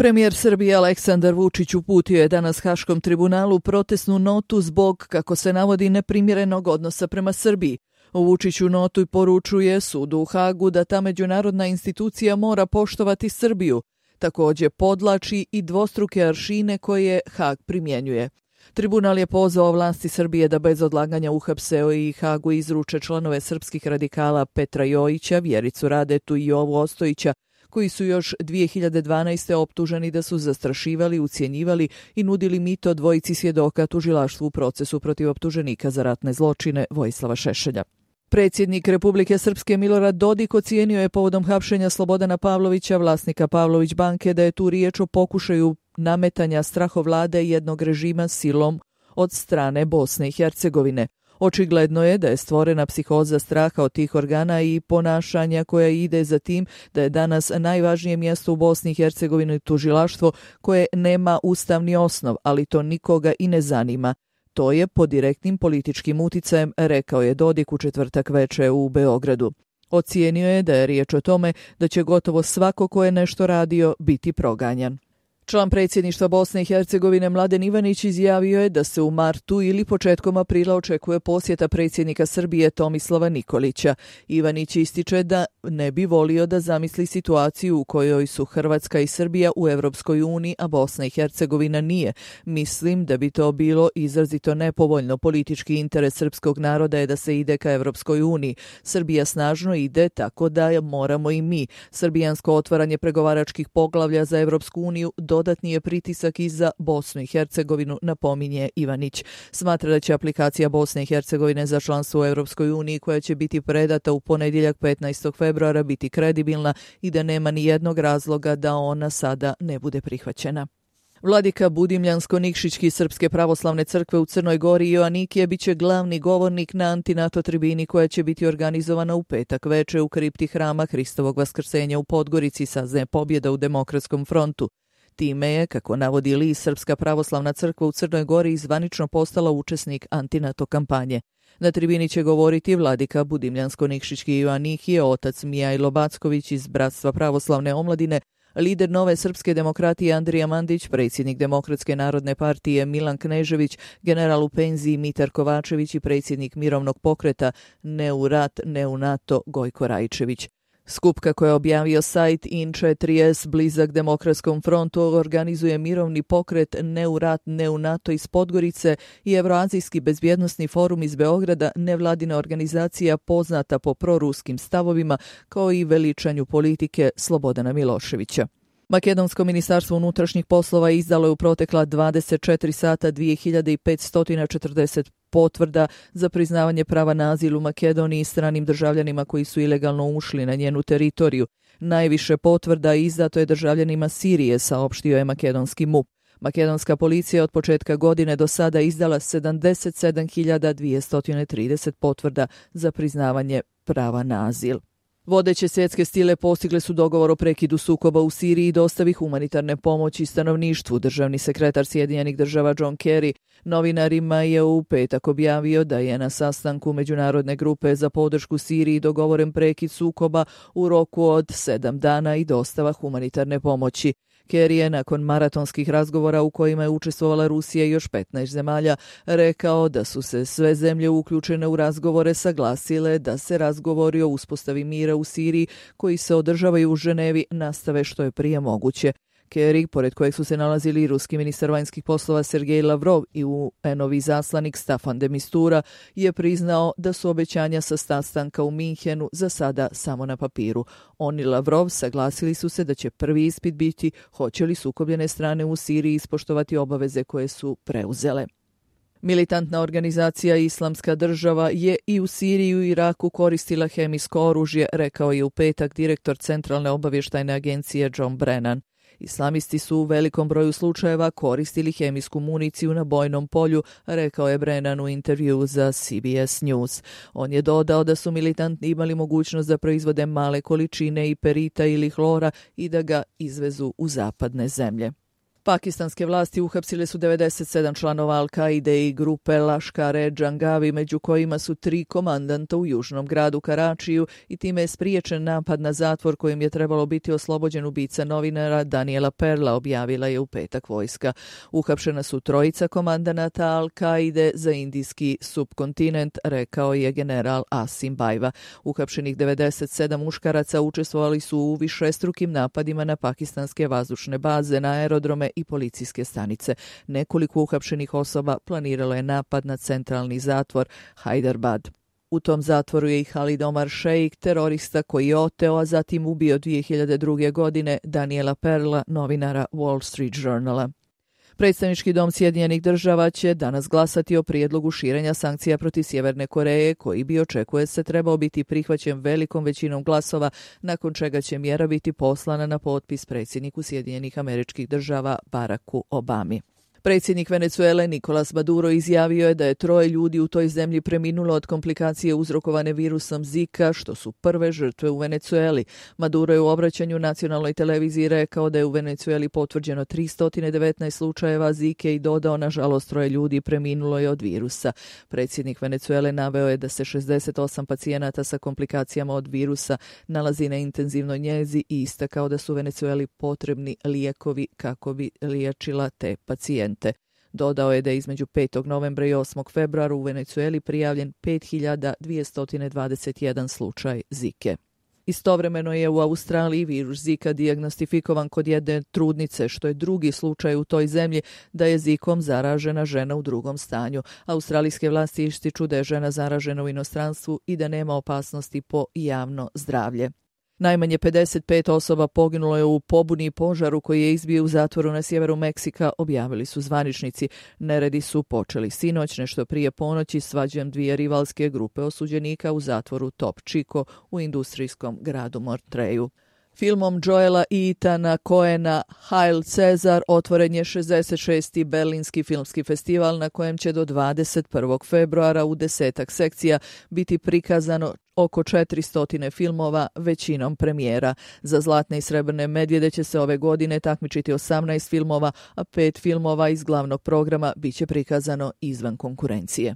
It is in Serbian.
Premijer Srbije Aleksandar Vučić uputio je danas Haškom tribunalu protestnu notu zbog, kako se navodi, neprimjerenog odnosa prema Srbiji. Vučić u notu poručuje sudu u Hagu da ta međunarodna institucija mora poštovati Srbiju. Također podlači i dvostruke aršine koje Hag primjenjuje. Tribunal je pozvao vlasti Srbije da bez odlaganja uhapse i Hagu izruče članove srpskih radikala Petra Jojića, Vjericu Radetu i Jovu Ostojića, koji su još 2012. optuženi da su zastrašivali, ucjenjivali i nudili mito dvojici svjedoka tužilaštvu u procesu protiv optuženika za ratne zločine Vojislava Šešelja. Predsjednik Republike Srpske Milorad Dodik ocijenio je povodom hapšenja Slobodana Pavlovića, vlasnika Pavlović banke, da je tu riječ o pokušaju nametanja strahovlade jednog režima silom od strane Bosne i Hercegovine. Očigledno je da je stvorena psihoza straha od tih organa i ponašanja koja ide za tim da je danas najvažnije mjesto u Bosni i Hercegovini tužilaštvo koje nema ustavni osnov, ali to nikoga i ne zanima. To je pod direktnim političkim uticajem, rekao je Dodik u četvrtak veče u Beogradu. Ocijenio je da je riječ o tome da će gotovo svako ko je nešto radio biti proganjan. Član predsjedništva Bosne i Hercegovine Mladen Ivanić izjavio je da se u martu ili početkom aprila očekuje posjeta predsjednika Srbije Tomislava Nikolića. Ivanić ističe da ne bi volio da zamisli situaciju u kojoj su Hrvatska i Srbija u Europskoj uniji, a Bosna i Hercegovina nije. Mislim da bi to bilo izrazito nepovoljno. Politički interes srpskog naroda je da se ide ka Europskoj uniji. Srbija snažno ide, tako da moramo i mi. Srbijansko otvaranje pregovaračkih poglavlja za Europsku uniju dodatni je pritisak i za Bosnu i Hercegovinu, napominje Ivanić. Smatra da će aplikacija Bosne i Hercegovine za članstvo u Europskoj uniji, koja će biti predata u ponedjeljak 15. februara, biti kredibilna i da nema ni jednog razloga da ona sada ne bude prihvaćena. Vladika Budimljansko-Nikšićki Srpske pravoslavne crkve u Crnoj Gori Joanikije biće glavni govornik na antinato tribini koja će biti organizovana u petak veče u kripti hrama Hristovog vaskrsenja u Podgorici, saznaje Pobjeda u Demokratskom frontu. Time je, kako navodi list, Srpska pravoslavna crkva u Crnoj Gori zvanično postala učesnik antinato kampanje. Na tribini će govoriti vladika Budimljansko-Nikšićki Joanikije, otac Mijajlo Backović iz Bratstva pravoslavne omladine, lider Nove srpske demokratije Andrija Mandić, predsjednik Demokratske narodne partije Milan Knežević, general u penziji Mitar Kovačević i predsjednik mirovnog pokreta Ne u rat, ne u NATO Gojko Rajčević. Skup, kako je objavio sajt In4S blizak Demokratskom frontu, organizuje mirovni pokret Ne u rat, ne u NATO iz Podgorice i Evroazijski bezbjednosni forum iz Beograda, nevladina organizacija poznata po proruskim stavovima kao i veličanju politike Slobodana Miloševića. Makedonsko ministarstvo unutrašnjih poslova izdalo je u protekla 24 sata 2540 potvrda za priznavanje prava na azil u Makedoniji stranim državljanima koji su ilegalno ušli na njenu teritoriju. Najviše potvrda izdato je državljanima Sirije, saopštio je makedonski MUP. Makedonska policija od početka godine do sada izdala 77.230 potvrda za priznavanje prava na azil. Vodeće svjetske sile postigle su dogovor o prekidu sukoba u Siriji i dostavi humanitarne pomoći stanovništvu. Državni sekretar Sjedinjenih država John Kerry novinarima je u petak objavio da je na sastanku Međunarodne grupe za podršku Siriji dogovoren prekid sukoba u roku od 7 dana i dostava humanitarne pomoći. Kerry je nakon maratonskih razgovora u kojima je učestvovala Rusija i još 15 zemalja rekao da su se sve zemlje uključene u razgovore saglasile da se razgovori o uspostavi mira u Siriji koji se održavaju u Ženevi nastave što je prije moguće. Kerry, pored kojeg su se nalazili i ruski ministar vanjskih poslova Sergej Lavrov i UN-ovi zaslanik Staffan de Mistura, je priznao da su obećanja sa sastanka u Minhenu za sada samo na papiru. On i Lavrov saglasili su se da će prvi ispit biti hoće li sukobljene strane u Siriji ispoštovati obaveze koje su preuzele. Militantna organizacija Islamska država je i u Siriji i u Iraku koristila hemijsko oružje, rekao je u petak direktor Centralne obavještajne agencije John Brennan. Islamisti su u velikom broju slučajeva koristili hemijsku municiju na bojnom polju, rekao je Brennan u intervju za CBS News. On je dodao da su militanti imali mogućnost da proizvode male količine iperita ili hlora i da ga izvezu u zapadne zemlje. Pakistanske vlasti uhapsile su 97 članova Al-Kaide i grupe Laškar-e-Džangavi, među kojima su 3 komandanta u južnom gradu Karačiju i time je spriječen napad na zatvor kojim je trebalo biti oslobođen ubica novinara Daniela Perla, objavila je u petak vojska. Uhapšena su 3 komandanata Al-Kaide za indijski subkontinent, rekao je general Asim Bajva. Uhapšenih 97 muškaraca učestvovali su u višestrukim napadima na pakistanske vazdušne baze, na aerodrome i policijske stanice. Nekoliko uhapšenih osoba planiralo je napad na centralni zatvor Hyderabad. U tom zatvoru je i Khalid Omar Sheikh, terorista koji je oteo, a zatim ubio 2002. godine Daniela Perla, novinara Wall Street Journala. Predstavnički dom Sjedinjenih država će danas glasati o prijedlogu širenja sankcija protiv Sjeverne Koreje, koji bi, očekuje se, trebao biti prihvaćen velikom većinom glasova, nakon čega će mjera biti poslana na potpis predsjedniku Sjedinjenih Američkih Država Baracku Obami. Predsjednik Venezuele Nicolas Maduro izjavio je da je 3 ljudi u toj zemlji preminulo od komplikacije uzrokovane virusom Zika, što su prve žrtve u Venezueli. Maduro je u obraćanju nacionalnoj televiziji rekao da je u Venezueli potvrđeno 319 slučajeva Zike i dodao, nažalost, 3 ljudi preminulo je od virusa. Predsjednik Venezuele naveo je da se 68 pacijenata sa komplikacijama od virusa nalazi na intenzivnoj njezi i istakao da su Venezueli potrebni lijekovi kako bi liječila te pacijente. Dodao je da je između 5. novembra i 8. februara u Venezueli prijavljen 5221 slučaj Zike. Istovremeno je u Australiji virus Zika dijagnostifikovan kod jedne trudnice, što je drugi slučaj u toj zemlji da je Zikom zaražena žena u drugom stanju. Australijske vlasti ističu da je žena zaražena u inostranstvu i da nema opasnosti po javno zdravlje. Najmanje 55 osoba poginulo je u pobuni i požaru koji je izbio u zatvoru na sjeveru Meksika, objavili su zvaničnici. Neredi su počeli sinoć, nešto prije ponoći, svađom 2 rivalske grupe osuđenika u zatvoru Top Chico u industrijskom gradu Montreju. Filmom Joela i Ethana Coena Hail Cezar otvoren je 66. Berlinski filmski festival na kojem će do 21. februara u 10 sekcija biti prikazano oko 400 filmova, većinom premijera. Za Zlatne i srebrne medvjede će se ove godine takmičiti 18 filmova, a 5 filmova iz glavnog programa biće prikazano izvan konkurencije.